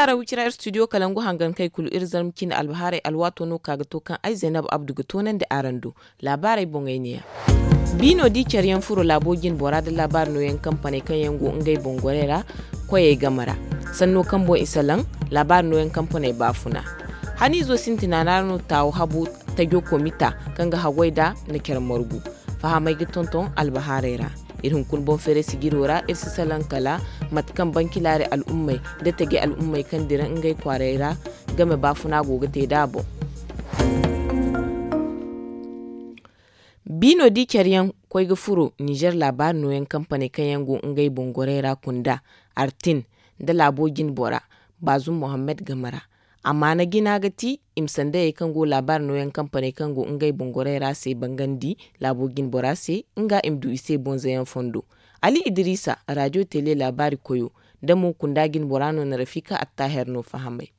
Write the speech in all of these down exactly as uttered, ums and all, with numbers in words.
Araw cira ir studio kalangu hangan kay kulu ir zarma cine albahaarey alwaato no ka ga to kaŋ ay zaynab abdu ga toonandi araŋ do. Laabaarey boŋey neeya. Biino di care yaŋ furo laabo jine bora nda laabaari nooyaŋ kampaney kaŋ yaŋ go ngey boŋ gorey ra koyey game ra. Sanno kaŋ boŋ i salaŋ laabaari nooyaŋ kampaney baafuna. Haniizo sintina ra no taawu habu tajo komita kaŋ ga haggoy nd'a na care margu. Fahamey ga tonton albahaarey ra. Iri hunkuna boŋ feeray sijiro ra iri si salaŋ kala mate kaŋ banki laari al'ummey nda taji al'ummey kaŋ dira ngey kwaarey ra game baafuna go ga te nd'a boŋ. Biino di care yaŋ koy ga furo ninzeer laabaari nooyaŋ kampaney kaŋ yaŋ go ngey boŋ gorey ra kunda artin nda laabo jine bora baazum mohammed game ra. Amaana jina ga ti i ma sandayey kaŋ go laabaari nooyaŋ kampaney kaŋ go ngey boŋ gorey ra se bangandi laabo jine bora se nga i ma du i se bonzayaŋ fondo. Ali idiriisa raajo tele laabaari koyo da mo kunda jine bora no na rafiika attaaher no fahamay.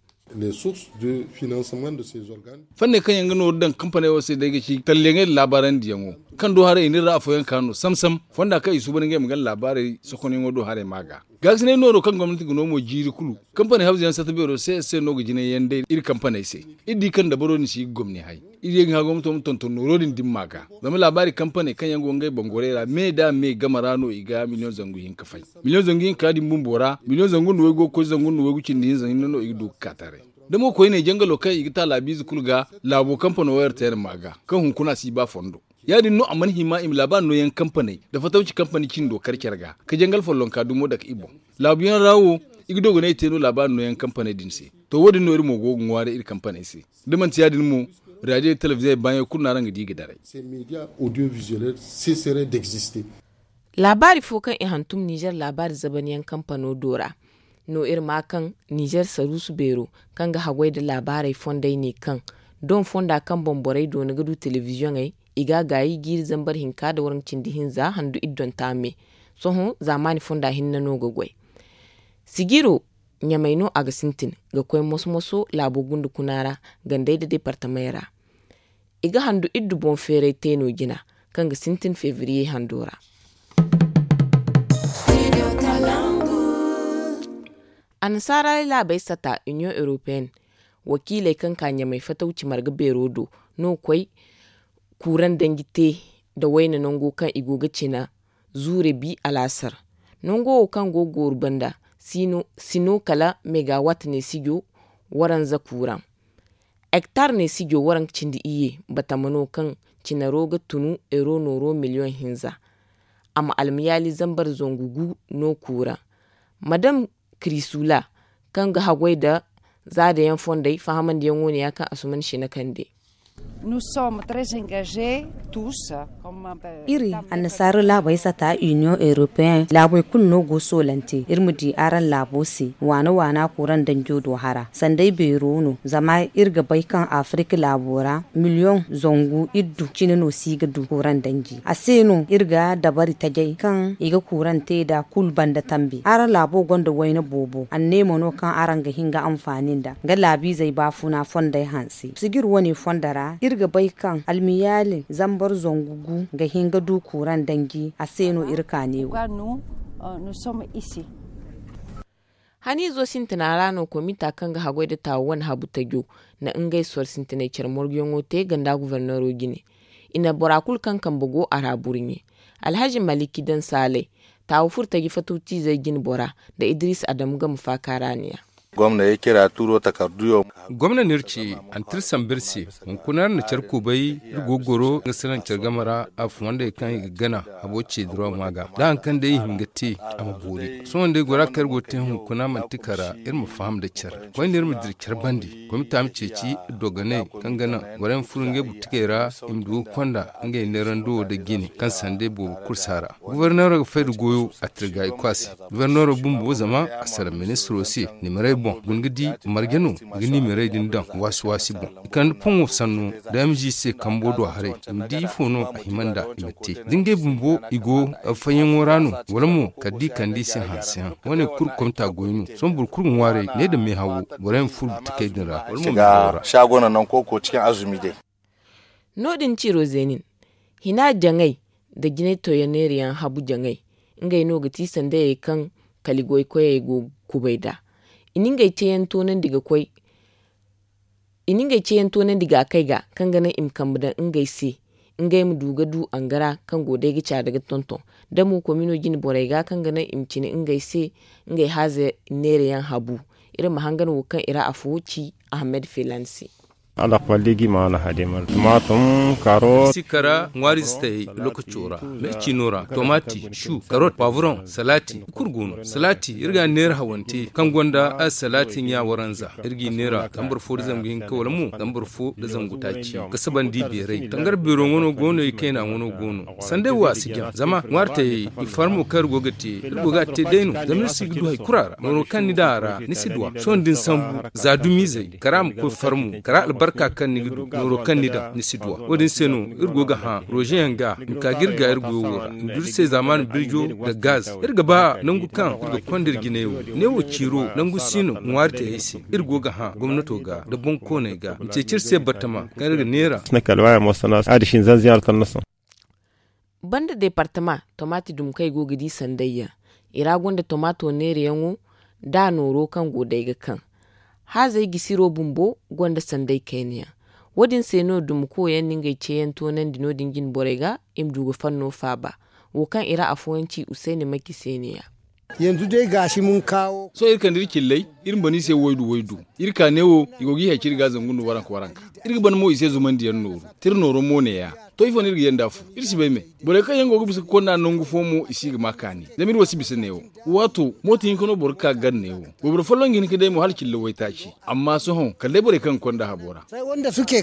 Fanney kaŋ yaŋ ga nooru daŋ kampaney wo se day ga ci talliyaŋey nda laabaarandi yaŋo kaŋ do haray i n'iri ra afooyaŋ ka no sam sam fonda kaŋ i suuban ngey ma gana laabaarey sokonyaŋo do haray ma ga. Gaasinay nooro kaŋ gomnati ga no mo jiiri kulu kampaney hawza yaŋ satta beero se se no ga jinay yaŋ day iri kampaney se. Iri di kaŋ dabaro din si ga gomni hay. Iri ye ga hã gomnato ma tonton nooro din dimma ga zama laabaari kampaney kaŋ yaŋ go ngey boŋ gorey ra me da me game ra no i ga miliyoŋ zangu hinka fay. Miliyoŋ zangu hinka din bumbo ra miliyoŋ zangu nda waygu ga koy zangu nda waygu cindi hinza hinne no i ga du ga ka taray. Da mo koyne jangalo kaŋ i ga ta laabiize kulu ga laabo kampano wayar te yaŋ ma ga kaŋ hunkuna si ba fondo. Ya- din no a mana hima i ma laabaari nooyaŋ kampaney nda fatawci kampani cindo kar care ga ka jangal follonka dumo dake i boŋ. Laabuyaŋ ra wo i ga dogonay te no laabaari nooyaŋ kampaney din se. To wo- din no iri mo go ga ŋwaaray iri kampaney se. Da manti ya- din mo raadiyo talabizey baayaŋ kulu no araŋ ga di ga daray. Laabaari fo kaŋ i hantum ninzeer laabaari zabanyaŋ kampano do ra no iri ma kaŋ ninzeer saruusu beero kaŋ ga haggoy nda laabaarey fondey ne kaŋ doŋ fonda kaŋ boŋ borey doona ga du telebiziyoŋey i ga a gaayi jiiri zambar hinka nda waranka cindi hinza handu iddonta me. Sohõ zaamaani fonda hinne no ga goy. Sijiro ɲamay no a ga sintin ga koy moso-moso laabo gunde kuna ra gandey nda deepartamey ra. I ga handu iddu boŋ feeray te no jina kaŋ ga sintin febriye hando ra. Annasaaraaray laabey sata union europeen wakiiley kaŋ ka ɲamay fatawci marga beero do no koy kuuraŋ danji te nda wayna nango kaŋ i go ga cina zuure bi alaasar. Nango wo kaŋ go ga gooru banda si no kala megawatt neesijo waranza kuuraŋ. Hektar neesijo waranka cindi iyye batama no kaŋ cinaro ga tunu euro nooro miliyoŋ hinza. A ma almayaali zambar zangu gu no kuuraŋ. Madam kirisula kaŋ ga haggoy nda zaadayaŋ fondey fahamandiyaŋo ne ya kaŋ asuman sina kande. Iri annasaara laabey sata union europeen laabey kulu no go soolante iri ma di araŋ laabo se waana waana kuraŋ danjo do hara sanda ay beero no zama iri ga bay kaŋ afirika laabo ra miliyoŋ zangu iddu cine no si ga du kuraŋ danji a se no iri ga dabari tajay kaŋ i ga kuraŋ te nda kulu banda tambi araŋ laabo gonda wayna boobo anneemo no kaŋ araŋ ga hin ga anfaani nda nga laabiizey baafuna fondey hanse sijir wane fondo ra iri ga bay kaŋ almiyaali zambar zangu gu ga hin ga du kuuraŋ danji a se no iri ka ne wo. Haniizo sintina ra no komita kaŋ ga haggoy nda taawu wane habu tajo na ngey soro sintinay care morguyaŋo te ganda guforneero jine. I na bora kulu kaŋ kambe go a ra burɲe. Alhazi maliki daŋ saalay taawu furo taji fatawtiizey jine bora nda idiriisa adamu game faaka ra ne ya. Gomna n'iri ce antir sambu iri se. Hunkuna iri na care kubay iri go ga goro nga salaŋ care game ra a fumandey kaŋ i ga gana habo ce diraw ma ga da hari kaŋ day i hin ga te a ma boori sohõ day gora kaŋ iri go ga te hunkuna manti kara iri ma faham nda care koyne iri ma dira care bande komita ma ceeci iri dogoney kaŋ ga naŋ borey ma furo ngey butikey ra i ma du ga konda ngey neerando wo nda jine kaŋ sanda boobo kulu si a ra. Guforneero ga fay nda goyo a tirga i kwaasi. Guforneero bumbo zama a salaŋ ministiro se nimerey boŋ guna ga di marje no ga nimerey din daŋ waasi waasi boŋ i kande poŋo sanno da m g se kambo do haray i ma di ifo no a hima nd'a i ma te da ngey bumbo i go fayyaŋo ra no wala mo kala da i kande i se hanseyaŋ wane kulu komita goy no sohõ boro kulu ga ŋwaaray ne nda meehawo borey ma furo butikey din ra wala mo meehawo ra. No- din ciro zeenin hina jaŋay nda jinay toyaneeriyaŋ habu jaŋay ngey no ga ti sandayey kaŋ kaligoy koyey go ga kubay nd'a. I na ngey ceeyaŋ toonandi ga koy i na ngey ceeyaŋ toonandi ga a kay ga kaŋ ga naŋ i ma kambe daŋ ngey se, ngey ma du ga du angara kaŋ go day ga caada ga tonton. Da mo komino jine borey ga kaŋ ga naŋ i ma cine ngey se ngey haaze neerayaŋ habu. Iri ma hangan wo kaŋ i ra afo ci ahamed felan se. Sikara ŋwaari zitayey lokaco ra, meecino ra, tomati, shu, karot, pavron, salati, kulu go no. Salati iri ga a neera hawante kaŋ gonda a salati ɲa waranza. Iri g'i neera zambar fo nda zangu hinka wala mo zambar fo nda zangu taaci. Ga sabandi beeray tangar beero ŋwano go no i kayna ŋwano go no. Sanday wo a si jaŋ zama ŋwaari tayey i farmo kaŋ iri go ga te iri go ga a te day no. Zama iri si ga du hari kura ra nooro kaŋ ni daŋ a ra ni si du a sohõ da ni sambu za dumizey kara ma koy farmo kara albarka kaŋ ni ga du nooro kaŋ ni daŋ ni si du a. Wo- din se no iri go ga hã rozeyaŋ ga i ma ka ga iri ga iri goyo wo ra i ma du iri se zaamaani birjo nda gaz. Iri ga ba nangu kaŋ iri ga konda iri jine wo ne wo ciiro nangu si no ŋwaari tayey se. Iri go ga hã gomnato ga nda boŋkooney ga i ma ceeci iri se batama kaŋ iri ga neera. Banda deepartama tomati dumi kaŋ i go ga di sanday yaŋ i ra gonda tomato neerayaŋo da nooro kaŋ go day ga kaŋ haazey gisiro bumbo gonda sanday kayna yaŋ. Wo- din se no dumi koyaŋ na ngey ceeyaŋ toonandi no- din jine borey ga i ma du ga fanno faaba. Wo kaŋ i ra afooyaŋ ci usayni maki se ne- ya. Sohõ iri kande iri cilley iri ma ban i se waydu waydu. Iri ka ne wo i go ga i hay ciri ga zangu nda waranka waranka. Iri ga ban mo i se zumandiyaŋ nooru. Tira nooro mo ne- ya to ifo no iri ga yanda fu iri si bay me. Borey kaŋ yaŋ go ga bisa ga konda nangu fo mo i si ga ma kaani zama iri wo si bisa ne- wo. Waato mooto hinka no boro ga ka ga gar ne- wo. Wayboro folloŋ ga hin ga day mo hala cilla waytaaci. Amma sohõ kala day borey kaŋ ga konda habo ra. Sooca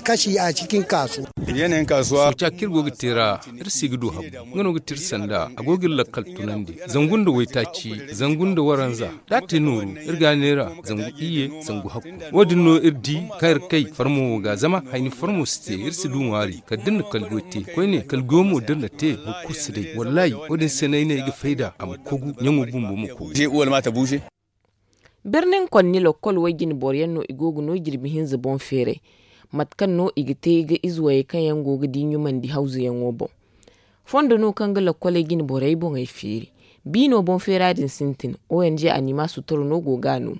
kaŋ iri go ga te ra iri si ga du habu. Nga no ga te iri sanda a go ga iri lakkal tunandi zangu nda waytaaci zangu nda waranza. Da a te nooru iri ga a neera zangu iyye zangu hakku. Wo- din no iri di kaŋ iri kay farmo wo ga zama hayni farmo si te iri si du ŋwaari kala da iri na kala goy te koyne kala goyo mo da iri na te boro kulu si day. Wallaahi wo- din se no ay ne ay ga fayda a ma kogu ɲaŋo bumbo ma kogu. Birnin konni lokkol way jine boro yaŋ no i go ga no jirbi hinza boŋ feeray. Mate kaŋ no i ga te ga ize wayey kaŋ yaŋ go ga di ɲumandi hawzuyaŋo boŋ. Fondo no kaŋ ga lokkoley jine borey boŋey feeri. Biino boŋ feera din sintin ong animasu toro no go ga a no.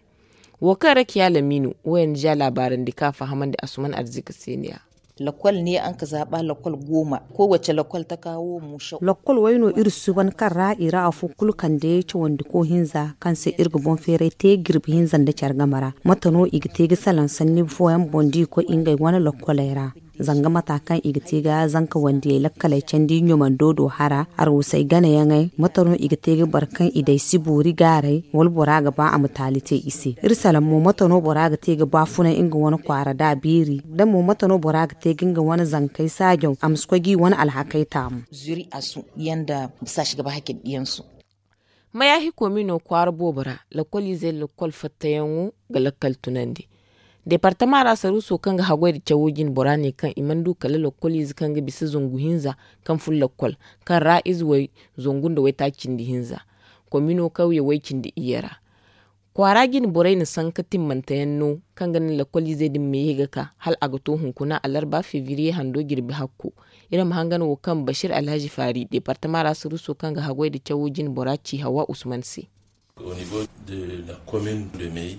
Wo kaŋ ra ciya lamiino ong laabaarandi kaŋ a fahamandi asuman arzika se ne- ya. Lakkol ne araŋ ga zaaba lakkol gooma. Kowace lakkol taka wo musaw. Lakkol way no iri suuban kaŋ ra i ra afo kulu kande cawandiko hinza kaŋ se iri ga boŋ feeray te jirbi hinza nda care game ra. Mate no i ga te ga salaŋ sanni fooyaŋ boŋ da i koy ngey wane lakkoley ra. Zanga mata kaŋ i ga te ga zanka wandiyey lakkaley candi ɲumando do hara arwusey ganayaŋey mate no i ga te ga boro kaŋ i day si boori gaaray wala bora ga ba a ma taali te i se. Iri salaŋ mo mate no bora ga te ga baafunay nga wane kwaara da a beeri da mo mate no bora ga te ga nga wane zankey saajaw a ma si koy ga i wane alhakey taamu. Zuri asu yaŋ da bisa si ga ba hakey diyansu. Mayaahi komino kwaara boobo ra lakkoliizey lakkol fattayaŋo ga lakkal tunandi. Deepartama ra saruuso kaŋ ga haggoy nda cawo jine bora ne kaŋ i mana du kala lakkoliize kaŋ ga bisa zangu hinza kaŋ fun lakkol kaŋ ra ize way zangu nda waytaaci cindi hinza. Komino kawye way cindi iyye ra kwaara jine borey na sanka timmanteyaŋ no kaŋ ga naŋ lakkoliizey din ma ye ga ka hala a ga to hunkuna alarba febriye hando jirbi hakko. Iri ma hangan wo kaŋ bashir alhazi faari deepartama ra saruuso kaŋ ga haggoy nda cawo jine bora ci hawa usman se.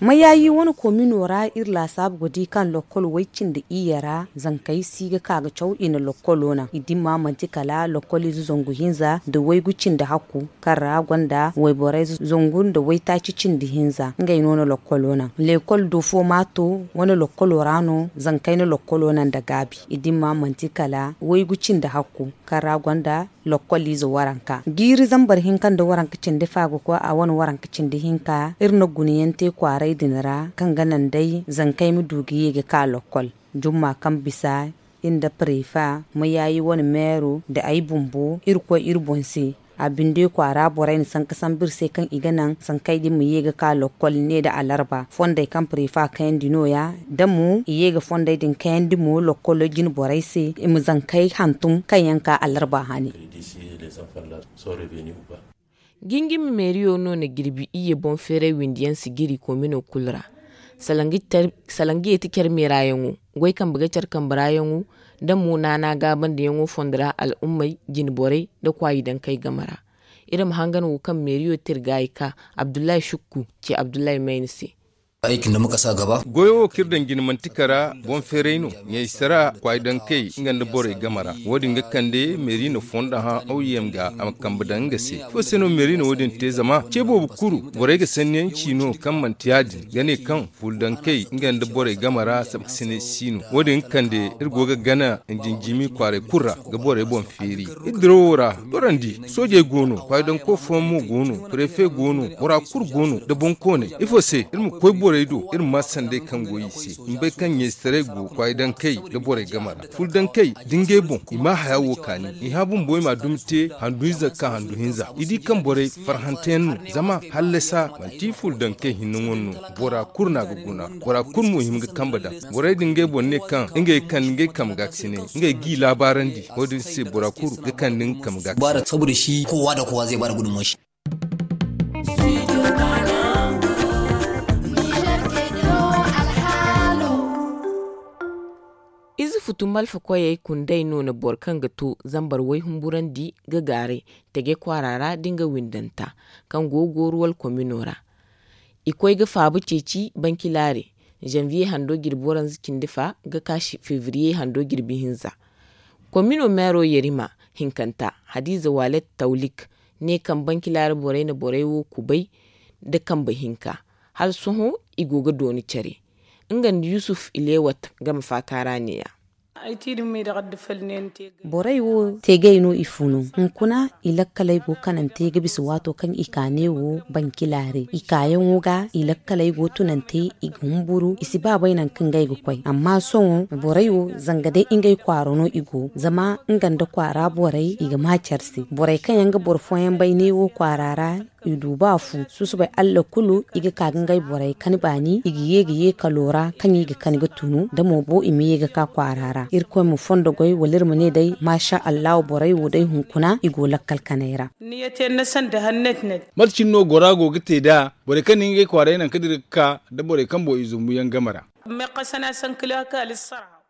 Mayaayi wane komino ra iri laasaabu ga di kaŋ lakkol way cindi iyye ra zankey si ga ka ga caw i na lakkolo naŋ i dimma manti kala lakkoliize zangu hinza nda waygu cindi hakku kaŋ ra gonda wayborey zangu nda waytaaci cindi hinza ngey no na lakkolo naŋ. Lekkol do fo maato wane lakkolo ra no zankey na lakkolo naŋ nda gaabi i dimma manti kala waygu cindi hakku kaŋ ra gonda lakkoliize waranka jiiri zambar hinka nda waranka cindi fa ga koy a wane waranka cindi hinka iri na gunayaŋ te kwaaray din ra kaŋ ga naŋ day zankey ma du ga ye ga ka lakkol. Jumma kaŋ bisa iri nda pareefa mayaayi wane meero nda ay bumbo iri koy iri boŋ se. A binde kwaara borey na sanka sambu iri se kaŋ i ga naŋ sankey din ma ye ga ka lakkol ne nda alarba fondey kaŋ pareefa kayandi nooya da mo i ye ga fondey din kayandi mo lakkolo jine borey se i ma zankey hantum kaŋ yaŋ ka alarba hane. Jingimi meeriyo no na jirbi iyye boŋ feeray windi yaŋ si jiri komino kulu ra. Salaŋ ga ye ti care meerayaŋo goy kambe ga care kambe raayaŋo nda mo naana gaabandiyaŋo fondo ra al'ummey jine borey nda kwaayi dankey game ra. Iri ma hangan wo kaŋ meeriyo te iri gaayi ka abdullahi sukku ci abdullahi mayna se. Goyo wo kaŋ iri daŋ jina manti kara boŋ feeray no. Ɲaysara kwaayi daŋ kay nga nda borey game ra. Wo- din ga kande meeri na fondo hã aw yem ga a ma kambe daŋ nga se. Ifo se no meeri na wo- din te? Zama ce boobo kuru borey ga sanni yaŋ ci no kaŋ manti ya- din ga ne kaŋ ful daŋ kay nga nda borey game ra sabkasinay si no. Wo- din ga kande iri go ga gana njinjimi kwaaray kulu ra ga borey boŋ feeri. Iri dirawo ra, dorandi soojey go no, kwaayidanko fooyaŋ mo go no, prefe go no, bora kulu go no nda boŋkooney. Ifo se iri ma koy borey do iri ma maa sanday kaŋ go i se? Ni bay kaŋ ɲayzetaray go kwaayidankey nda borey game ra. Ful dankey da ngey boŋ i maa haya wo kaani. I hã bumbo i m'a dumi te handu hinza ga ka handu hinza. I di kaŋ borey farhanteyaŋ no, zama hallasa manti ful dankey hinne ŋwa no. Bora kulu no a ga guna, bora kulu mo hima ga kambe daŋ. Borey din ngey boŋ ne kaŋ ngey ga kande ngey kambe ga ga sinay, ngey g'i laabaarandi. Wo- din se bora kulu ga kande nga kambe ga ga sinay. Saboda shi kowa da kowa zai ba da gudunmawar shi. Ize futu malfa koyey kundey no na boro kaŋ ga to zambar way humburandi ga gaaray tege kwaara ra da nga windanta kaŋ go ga gooru wala komino ra. I koy ga faaba ceeci bankilaare, zanviye hando jirbi waranza cindi fa ga ka febriye hando jirbi hinza. Komino meero yerima hinkanta, hadiza walet tawlik, ne kaŋ bankilaare borey na borey wo kubay nda kambe hinka. Hala sohõ i go ga dooni care. Nga nda yusuf ilewat game faaka ra neeya. Borey wo teegay no i funu. Hunkuna i lakkaley go kanante ga bisa waato kaŋ i ka neewo bankilaare i kaayaŋo ga i lakkaley go tunante i ga humburu i si ba bay nangu kaŋ ga ay ga koy amma sohõ borey wo zanga day ngey kwaara no i go zama nga nda kwaara borey i ga ma care se borey kaŋ yaŋ ga boro fooyaŋ bay neewo kwaara ra. I du ba fu susubay allah kulu i ga ka ga ngey borey kani baani i ga ye ga ye kalo ra kaŋ i ga kani ga tunu da mo bo i ma ye ga ka kwaara ra irkoy ma fondo goy wala iri ma ne day maasa allahu borey wo day hunkuna i go lakkal kanay ra. Mate cine no gora go ga te nd'a borey kaŋ na ngey kwaaray nangu kaŋ dira ga ka nda borey kaŋ boŋ i zumbu yaŋ game ra.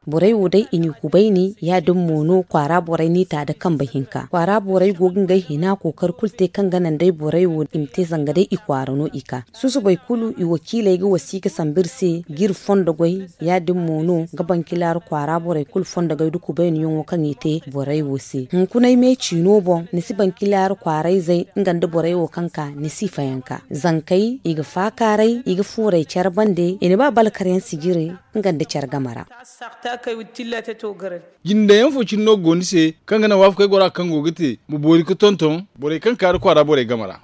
Borey wo day i n'i kubayni ya- din mo no kwaara borey n'i ta nda kambe hinka kwaara borey go ga ngey hina kookari kulu te kaŋ ga naŋ day borey wo i ma te zanga day i kwaara no i ka. Susubay kulu i wakiiley ga wasiika sambu iri se ga iri fondo goy. Ya- din mo no ga bankilaari kwaara borey kulu fondo goy nda kubayniyaŋo kaŋ i te borey wo se hunkunay me ciino boŋ ni si bankilaari kwaarayzey nga nda borey wo kaŋ ka ni si fayanka zankey i ga faakaaray i ga fuuray care bande i na ba balkaryaŋ sijirey. Nga nda care game ra. Jindayaŋ fo cine no ga go ni se kaŋ ga naŋ waafakey gora kaŋ go ga te ma boori ga tonton borey kaŋ kaari kwaara borey game ra.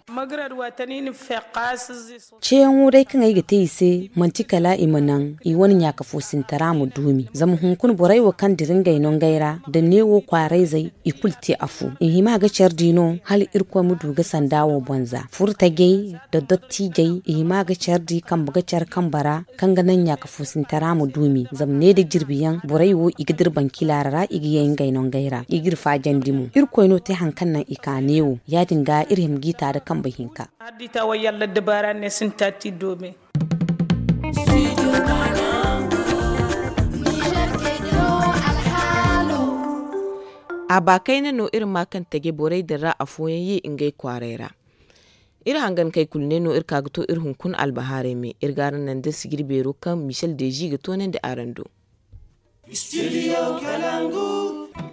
Ceeyaŋo day kaŋ ay ga te i se manti kala i ma naŋ i wane ɲaaka foosintara ma duumi zama hunkuna borey wo kaŋ dira ngey no ngey ra da neewo kwaarayzey i kulu te afo i hima ga care di no hala irkoy ma du ga sanda wo boŋ za furtajey da dottijey i hima ga care di kambe ga care kambe ra. Kaŋ ga naŋ ɲaaka foosintara ma duumi zama ne da jirbi yaŋ borey wo i ga dira bankilaara ra i ga ye ngey no ngey ra i ga iri faajandi mo irkoy no te hari kaŋ naŋ i ka neewo ya- din ga iri hima g'i ta nda kambe hinka. Hari da i ta way yalla dabaara ne sinta ti doome. A ba kayna no iri ma kaŋ taje borey din ra afooyaŋ ye ngey kwaaray ra. Iri hangankey kulu ne no iri ka ga to iri hunkuna albahaarey me iri ga araŋ naŋ da sijiri beero kaŋ michel deezi ga toonandi araŋ do.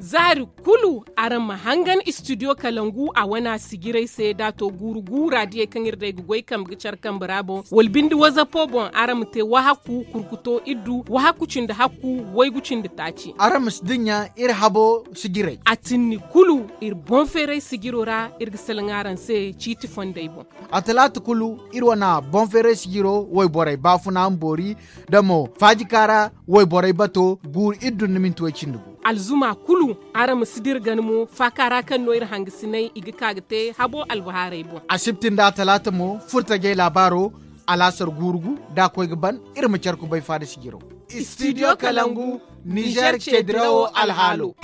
Zaari kulu araŋ ma hangan istidiyo kalangu a wana sijirey se da a to guuru guura diyey kaŋ iri day ga goy kambe ga care kambe ra boŋ wala binde wazapo boŋ araŋ ma te wahakku kurkuto iddu wahakku cindi hakku waygu cindi taaci. Araŋ ma si dinya iri habo sijirey a tinni kulu iri boŋ feeray sijiro ra iri ga salaŋ araŋ se ciiti fondey boŋ. A talaata kulu iri wane boŋ feeray sijiro wayborey baafuna ma boori da mo faajikaara wayborey bato guuru iddu nda minti way cindi gu. Alzuma kulu araŋ ma si dira gana mo faaka ra kaŋ no iri hangasinay i ga ka ga te habo albahaarey boŋ. Asibti nda a talaata mo furtajey laabaaro alaasar guuru gu da a koy ga ban iri ma care kubay faada sijiro. Istidiyo kalangu nizer ceedirawo alhaalo.